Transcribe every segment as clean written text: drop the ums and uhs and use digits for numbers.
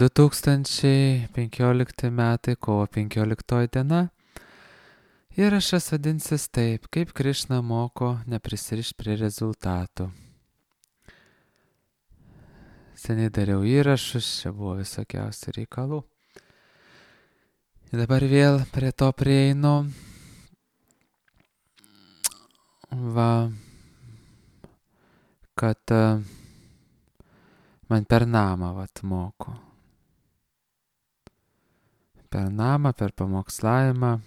2015 metai, kovo 15 diena. Įrašas vadinsis taip, kaip Krišna moko neprisirišti prie rezultatų. Seniai dariau įrašus, čia buvo visokiausių reikalų. Ir dabar vėl prie to prieinu. Kad man per namą moko. Per namą, per pamokslavimą.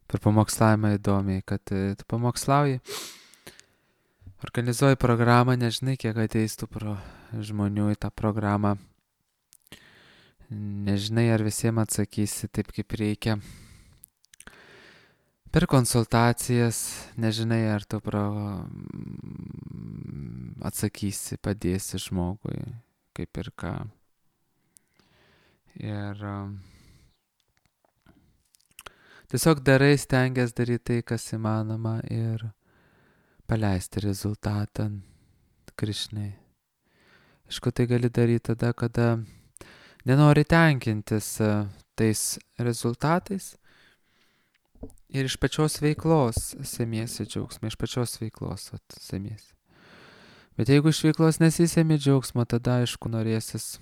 Per pamokslavimą įdomiai, kad tu pamokslauji, organizuoji programą, nežinai, kiek ateis tų žmonių į tą programą. Nežinai, ar visiems atsakysi taip, kaip reikia. Per konsultacijas nežinai, ar tu atsakysi, padėsi žmogui, kaip ir ką. Ir tiesiog darai, stengiasi daryti tai, kas įmanoma ir paleisti rezultatą Krišnai. Aišku, tai gali daryti tada, kada nenori tenkintis tais rezultatais ir iš pačios veiklos semiesi džiaugsmą, iš pačios veiklos semiesi. Bet jeigu iš veiklos nesisemi džiaugsmo, tada aišku norėsis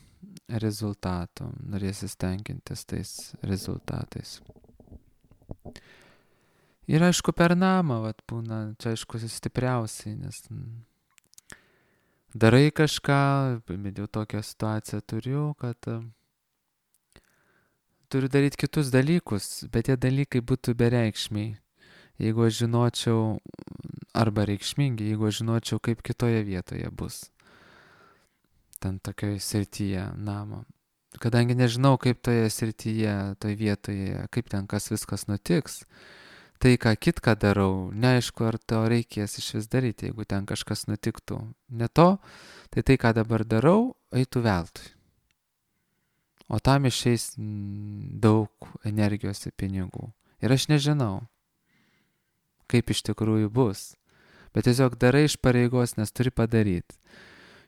rezultatų, norėsis tenkintis tais rezultatais. Ir aišku per namą būna, čia aišku stipriausiai, nes darai kažką, bet jau tokią situaciją turiu, kad turiu daryti kitus dalykus, bet tie dalykai būtų bereikšmiai. Jeigu aš žinočiau, arba reikšmingi, jeigu aš žinočiau, kaip kitoje vietoje bus. Ten tokioje srityje namo. Kadangi nežinau, kaip toje srityje, toje vietoje, kaip ten kas viskas nutiks, tai ką kitką darau, neaišku, ar to reikės iš vis daryti, jeigu ten kažkas nutiktų. Ne to, tai ką dabar darau, eitų veltui. O tam išeis daug energijos ir pinigų. Ir aš nežinau, kaip iš tikrųjų bus. Bet tiesiog darai iš pareigos, nes turi padaryti.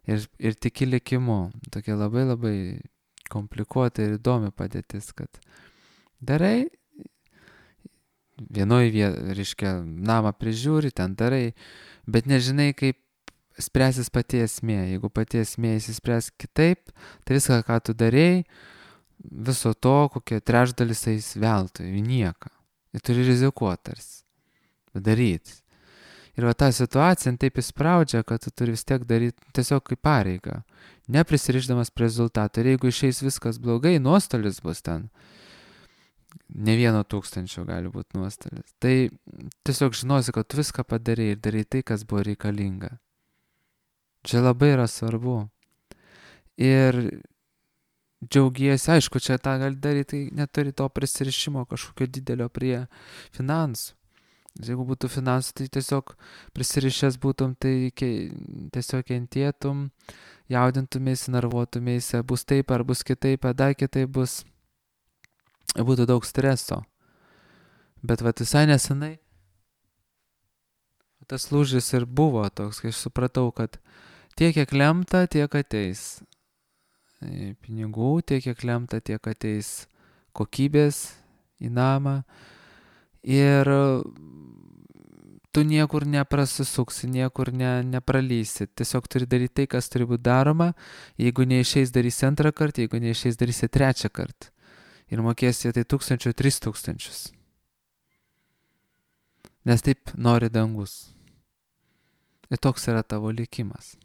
Ir tiki likimu. Tokia labai labai komplikuota ir įdomi padėtis, kad darai, vienoje vietoje, reiškia, namą prižiūri, ten darai, bet nežinai, kaip spręsis pati esmė. Jeigu pati esmė įsispręs kitaip, tai viską, ką tu darėjai, viso to, kokie trečdalis eis veltui, į nieką. Ir turi rizikuoti tarsi, daryti. Ir ta situacija taip įspraudžia, kad tu turi vis tiek daryti tiesiog kaip pareigą, neprisirišdamas prie rezultatų. Ir jeigu išeis viskas blogai, nuostolis bus ten. Ne 1,000 gali būti nuostolis. Tai tiesiog žinosi, kad tu viską padarai ir darai tai, kas buvo reikalinga. Čia labai yra svarbu. Ir džiaugiesi, aišku, čia tą gali daryti, tai neturi to prisirišimo kažkokio didelio prie finansų. Jeigu būtų finansų, tai tiesiog prisirišęs būtum, tai tiesiog kentėtum, jaudintumėsi, nervuotumėsi, bus taip ar bus kitaip, ar dar kitaip bus. Būtų daug streso. Bet visai nesenai tas lūžis ir buvo toks, kai aš supratau, kad tiek, kiek lemta, tiek ateis pinigų, tiek, kiek lemta, tiek ateis kokybės į namą. Ir tu niekur neprasisuksi, niekur nepralysi. Tiesiog turi daryti tai, kas turi būti daroma. Jeigu neišeis, darysi antrą kartą, jeigu neišeis, darysi trečią kartą. Ir mokėsi tai 1000, 3000. Nes taip nori dangus. Ir toks yra tavo likimas.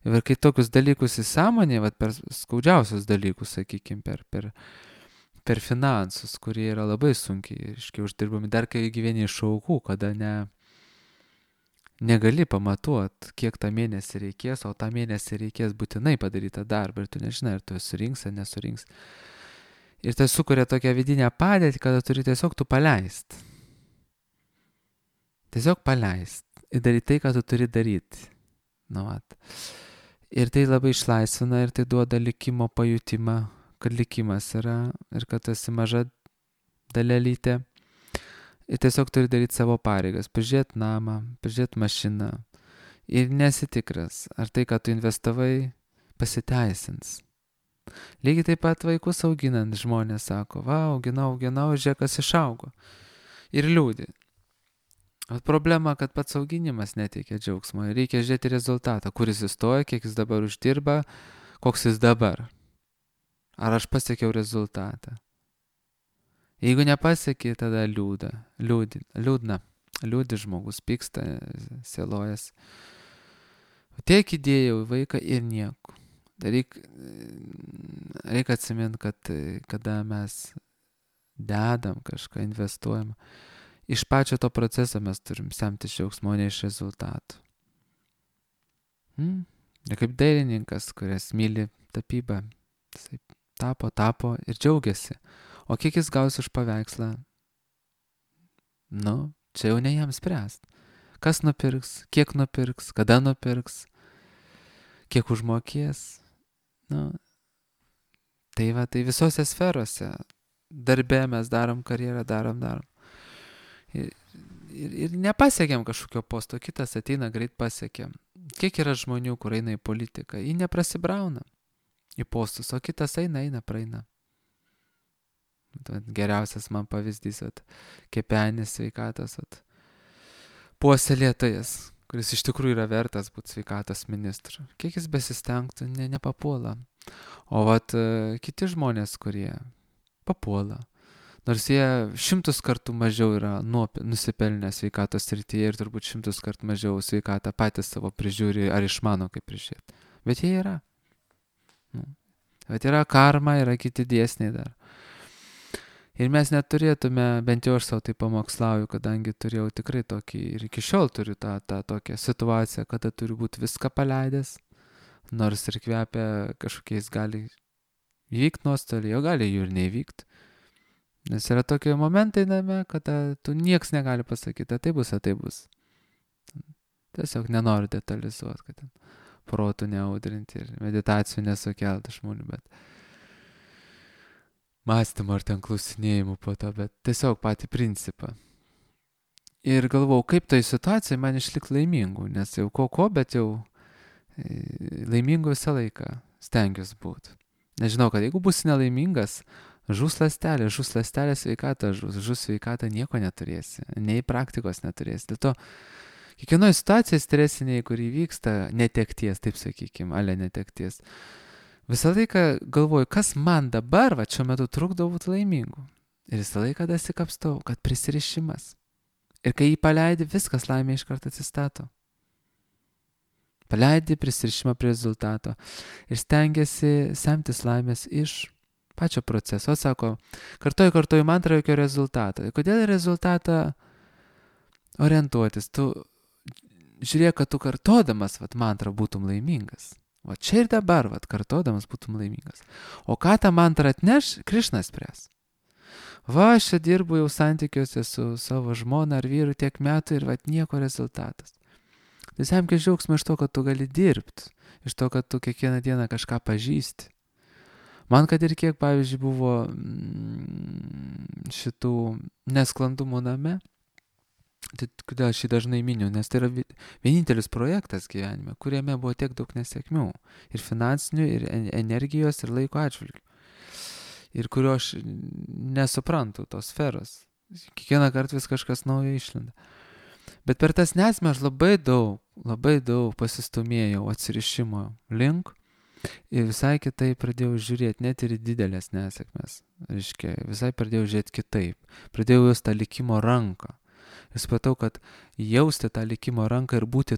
Ir kai tokius dalykus įsąmonė, per skaudžiausius dalykus, sakykime, per finansus, kurie yra labai sunkiai, uždirbami, dar kai gyveni iš aukų, kada negali pamatuoti, kiek tą mėnesį reikės, o tą mėnesį reikės būtinai padaryti darbą ir tu nežinai, ar tu surinks ar nesurinks. Ir tai sukuria tokią vidinę padėtį, kada turi tiesiog tu paleist. Tiesiog paleist ir daryti tai, ką tu turi daryti. Ir tai labai išlaisvina ir tai duoda likimo pajutimą, kad likimas yra ir kad esi maža dalelytė. Ir tiesiog turi daryti savo pareigas, prižiūrėti namą, prižiūrėti mašiną. Ir nesitikras, ar tai, ką tu investavai, pasiteisins. Lygiai taip pat vaikus auginant žmonės sako, va, auginau, žiūrėk, kas išaugo. Ir liūdį. Bet problema, kad pats auginimas neteikia džiaugsmo. Reikia žiūrėti rezultatą, kuris įstoja, kiek jis dabar uždirba, koks jis dabar. Ar aš pasiekiau rezultatą. Jeigu nepasieki, tada liūdna. Liūdi žmogus, pyksta, sielojas. Tiek įdėjau į vaiką ir nieko. Reikia atsiminti, kad kada mes dedam kažką, investuojam, iš pačio to proceso mes turim semtis džiaugsmo, ne iš rezultatų. Ir kaip dailininkas, kuris myli tapybą, jisai tapo ir džiaugiasi. O kiek jis gaus už paveikslą? Čia jau ne jam spręst. Kas nupirks, kiek nupirks, kada nupirks, kiek užmokės. Tai visose sferose. Darbe mes darom karjerą, darom. Ir nepasiekėm kažkokio posto, kitas ateina, greit pasiekėm. Kiek yra žmonių, kur eina į politiką, jį neprasibrauna į postus, o kitas eina, praeina. Geriausias man pavyzdys, Kepenis sveikatos, puoselėtojas, kuris iš tikrųjų yra vertas būti sveikatos ministru. Kiek jis besistengtų, nepapuola. O kiti žmonės, kurie papuola, nors jie 100 kartų mažiau yra nusipelnę sveikatos srityje ir turbūt 100 kartų mažiau sveikatą patys savo prižiūri ar išmano kaip prižiūrėti. Bet jie yra. Bet yra karma, yra kiti dėsniai dar. Ir mes neturėtume, bent jau aš savo tai pamokslauju, kadangi turėjau tikrai tokį, ir iki šiol turiu tą tokią situaciją, kada turiu būti viską paleidęs, nors ir kvepia kažkokiais gali įvykti nuostoliai, o gali jų ir neįvykti. Nes yra tokie momentai name, kada tu nieks negali pasakyti, tai bus. Tiesiog nenoriu detalizuoti, kad ten protų neaudrinti ir meditacijų nesukelti žmonių, bet mąstymą ar ten klausinėjimų po to, bet tiesiog patį principą. Ir galvojau, kaip tai situacija man išlikti laimingu, nes jau bet jau laimingu visą laiką stengiuosi būti. Nežinau, kad jeigu būsi nelaimingas, žus ląstelė sveikata, žus sveikata nieko neturėsi, nei praktikos neturėsi. Dėl to kiekvienoje situacijoje stresiniai, kur įvyksta netekties, taip sakykime, netekties, visą laiką galvoju, kas man dabar, šiuo metu trukdo būti laimingu. Ir visą laiką dasikapstau, kad prisirišimas. Ir kai jį paleidi, viskas laimė iš karto atsistato. Paleidi prisirišimą prie rezultato. Ir stengiasi semtis laimės iš pačio proceso. Sako, kartoju mantrą, jokio rezultato. Kodėl rezultatą orientuotis? Tu žiūrėk, kad tu kartodamas mantrą būtum laimingas. Čia ir dabar, kartodamas būtum laimingas. O ką tą mantrą atneš, Krišnas spręs. Aš čia dirbu jau santykiuose su savo žmona ar vyru tiek metų ir nieko rezultatas. Tai semkis džiaugsmą iš to, kad tu gali dirbti, iš to, kad tu kiekvieną dieną kažką pažįsti. Man, kad ir kiek, pavyzdžiui, buvo šitų nesklandumų name, tai kodėl aš jį dažnai miniu, nes tai yra vienintelis projektas gyvenime, kuriame buvo tiek daug nesėkmių. Ir finansinių, ir energijos, ir laiko atžvilgių. Ir kurio aš nesuprantu tos sferos. Kiekvieną kartą vis kažkas naujo išlenda. Bet per tas nesmę aš labai daug pasistumėjau atsirišimo link ir visai kitaip pradėjau žiūrėti, net ir didelės nesėkmės. Visai pradėjau žiūrėti kitaip. Pradėjau jausti tą likimo ranką. Ir supratau, kad jausti tą likimo ranką ir būti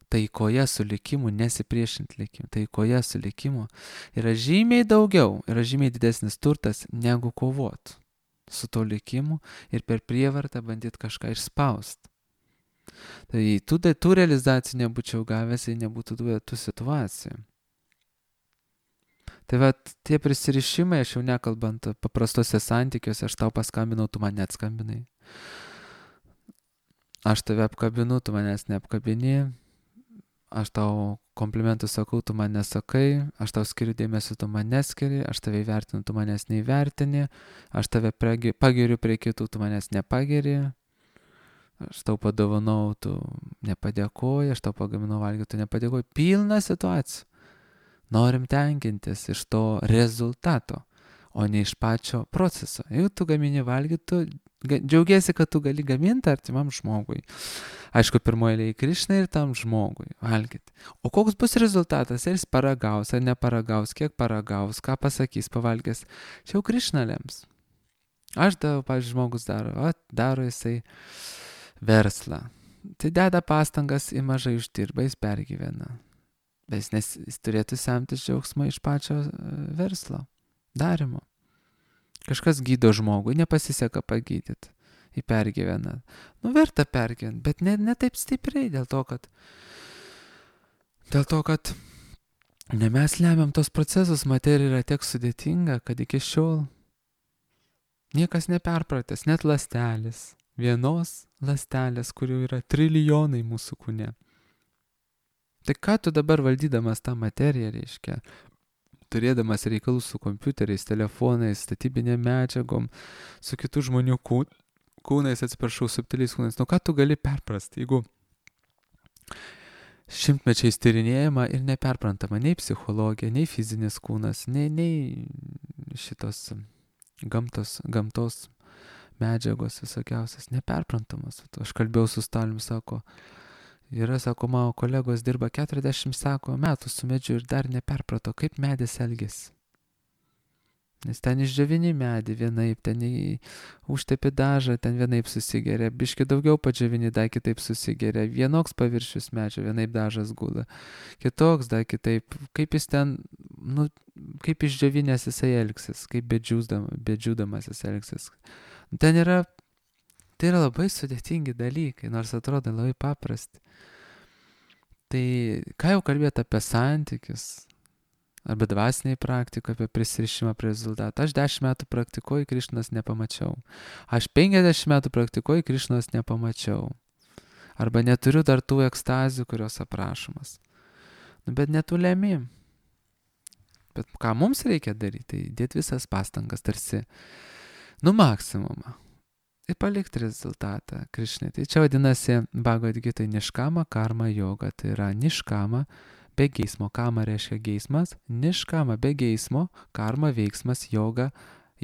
taikoje su likimu, nesipriešinti likimu, taikoje su likimu yra žymiai daugiau, yra žymiai didesnis turtas negu kovot su to likimu ir per prievartą bandyti kažką išspausti. Tai tų realizacijų nebūčiau gavęs, jei nebūtų tų situacijų. Tai tie prisirišimai, aš jau nekalbant paprastose santykiuose, aš tau paskambinau, tu man neatskambinai. Aš tave apkabinu, tu manęs neapkabini. Aš tau komplimentų sakau, tu man nesakai. Aš tau skiriu dėmesio, tu man neskiri. Aš tave įvertinu, tu manęs neįvertini. Aš tave pagiriu prie kitų, tu manęs nepagiri. aš tau padovanau, tu nepadėkoji, aš tau pagaminau valgyti, tu nepadėkoji. Pilna situacijų. Norim tenkintis iš to rezultato, o ne iš pačio proceso. Jeigu tu gamini valgyti, tu džiaugiesi, kad tu gali gaminti artimam žmogui. Aišku, pirmoje eilėje Krišnai ir tam žmogui valgyti. O koks bus rezultatas, ar jis paragaus, ar neparagaus, kiek paragaus, ką pasakys pavalgęs, čia jau Krišna lems. Aš darau, pavyzdžiui, žmogus daro jisai verslą. Tai deda pastangas, į mažai uždirba, jis pergyvena. Bet jis turėtų semtis džiaugsmą iš pačio verslo, darimo. Kažkas gydo žmogų, nepasiseka pagydyti, jį pergyvena. Verta pergyventi, bet ne taip stipriai, dėl to, kad ne mes lemiam tos procesus, materija yra tiek sudėtinga, kad iki šiol niekas neperpratęs, net ląstelės, vienos ląstelės, kurių yra trilijonai mūsų kūne. Tai ką tu dabar valdydamas tą materiją, reiškia, turėdamas reikalų su kompiuteriais, telefonais, statybinėm medžiagom, su kitų žmonių kūnais, subtiliais kūnais, ką tu gali perprasti, jeigu šimtmečiais tyrinėjama ir neperprantama nei psichologija, nei fizinis kūnas, nei šitos gamtos medžiagos visokiausias, neperprantamas. Aš kalbėjau su Staliumi, sako, mano kolegos dirba 40 metų su medžiu ir dar neperprato, kaip medis elgesi. Nes ten išdžiovini medį vienaip, ten užtepi dažą, ten vienaip susigeria, biški daugiau padžiovini, dar kitaip susigeria, vienoks paviršius medžio, vienaip dažas gula, kitoks, dar kitaip, kaip jis ten, kaip išdžiovinės jisai elgsis, kaip bedžiūdamas jis elgsis. Tai yra labai sudėtingi dalykai, nors atrodo labai paprasti. Tai ką jau kalbėti apie santykius, arba dvasiniai praktikoje, apie prisirišimą prie rezultatų. Aš 10 metų praktikuoju, Krišnos nepamačiau. Aš 50 metų praktikuoju, Krišnos nepamačiau. Arba neturiu dar tų ekstazių, kurios aprašomas. Bet netulėmi. Bet ką mums reikia daryti, tai dėti visas pastangas, tarsi, maksimumą. Ir palikti rezultatą Krišnai. Tai čia vadinasi Bhagavad Gita niškama karma joga. Tai yra niškama be geismo. Kama reiškia geismas. Niškama be geismo. Karma veiksmas joga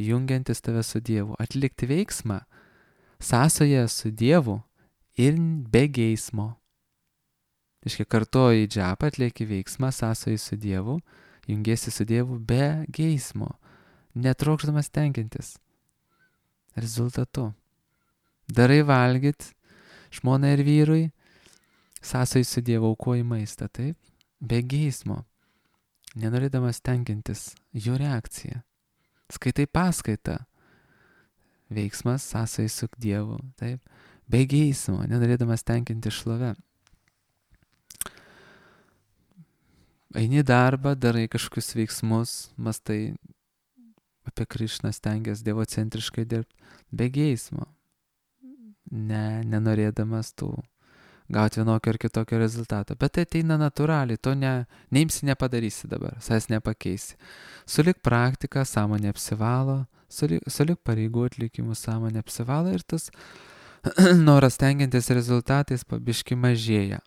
jungiantis tave su Dievu. Atlikti veiksmą sąsoje su Dievu ir be geismo. Iškia kartoji džapą, atlieki veiksmą sąsoje su Dievu, jungiesi su Dievu be geismo. Netrokšdamas tenkintis rezultatu. Darai valgyt žmonai ir vyrui, sąsai su Dievu aukoji maistą, taip, be geismo, nenorėdamas tenkintis jų reakciją. Skaitai paskaitą, veiksmas sąsai su Dievu, taip, be geismo, nenorėdamas tenkinti šlovę. Eini darbą, darai kažkokius veiksmus, mastai apie Krišną, stengiasi dievocentriškai dirbti, be geismo. Nenorėdamas tų gauti vienokio ar kitokio rezultato. Bet tai ateina natūraliai, to neimsi, nepadarysi dabar, savęs nepakeisi. Sulik praktika, sąmonė apsivalo, sulik pareigų atlikimų sąmonė apsivalo ir tas noras tenkintis rezultatais pabiški mažėja.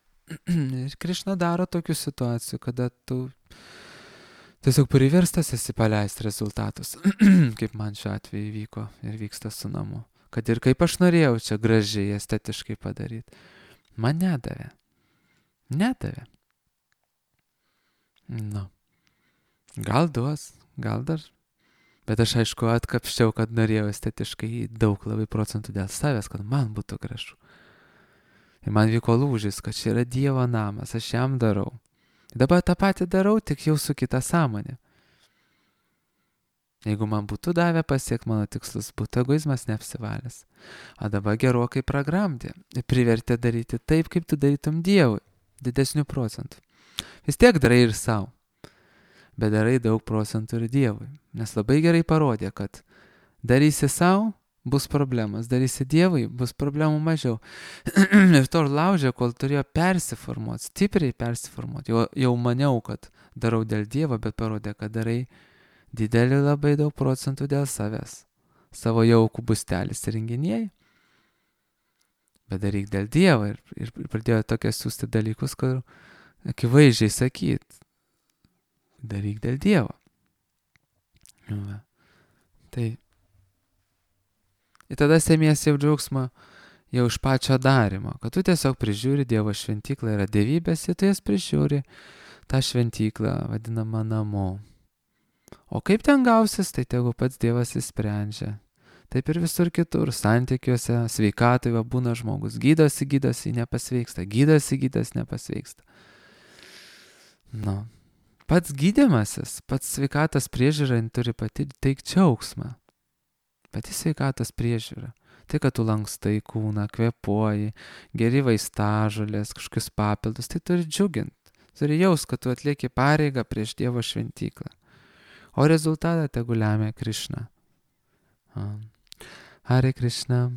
Ir Krišna daro tokių situacijų, kada tu tiesiog priverstas esi paleisti rezultatus, kaip man šiuo atveju vyko ir vyksta su namu. Kad ir kaip aš norėjau čia gražiai, estetiškai padaryti, man nedavė. Gal duos, gal dar. Bet aš aišku atkapščiau, kad norėjau estetiškai daug labai procentų dėl savęs, kad man būtų gražu. Ir man vyko lūžis, kad čia yra Dievo namas, aš jam darau. Dabar tą patį darau, tik jau su kita sąmonė. Jeigu man būtų davę pasiekti mano tikslus, būtų egoizmas neapsivalęs. O dabar gerokai pragramdė ir privertė daryti taip, kaip tu darytum Dievui, didesnių procentų. Vis tiek darai ir savo, bet darai daug procentų ir Dievui. Nes labai gerai parodė, kad darysi savo, bus problemas, darysi Dievui, bus problemų mažiau. Ir to laužė, kol turėjo persiformuoti, stipriai persiformuoti. Jau maniau, kad darau dėl Dievo, bet parodė, kad darai didelį labai daug procentų dėl savęs. Savo jaukų bustelis įrenginėjai. bet daryk dėl Dievo. Ir pradėjo tokias siūsti dalykus, kur akivaizdžiai sakyt, daryk dėl Dievo. Va. Tai. Ir tada sėmies jau džiaugsmą jau iš pačio darimo, kad tu tiesiog prižiūri Dievo šventyklą, yra dievybės, ir tu jas prižiūri tą šventyklą vadinamą namu. O kaip ten gausis, tai tegu pats Dievas įsprendžia. Taip ir visur kitur, santykiuose, sveikatai va būna žmogus, gydosi, nepasveiksta, gydosi, nepasveiksta. Nu, pats gydymasis, pats sveikatos priežiūra turi pati teikti džiaugsmą. Pati sveikatos priežiūra. Tai, kad tu lankstai kūną, kvėpuoji, geri vaistažolės, kažkokius papildus, tai turi džiuginti. Turi jaus, kad tu atlieki pareigą prieš Dievo šventyklą. O rezultatą tegu lemia Krišna. Hare Krishna.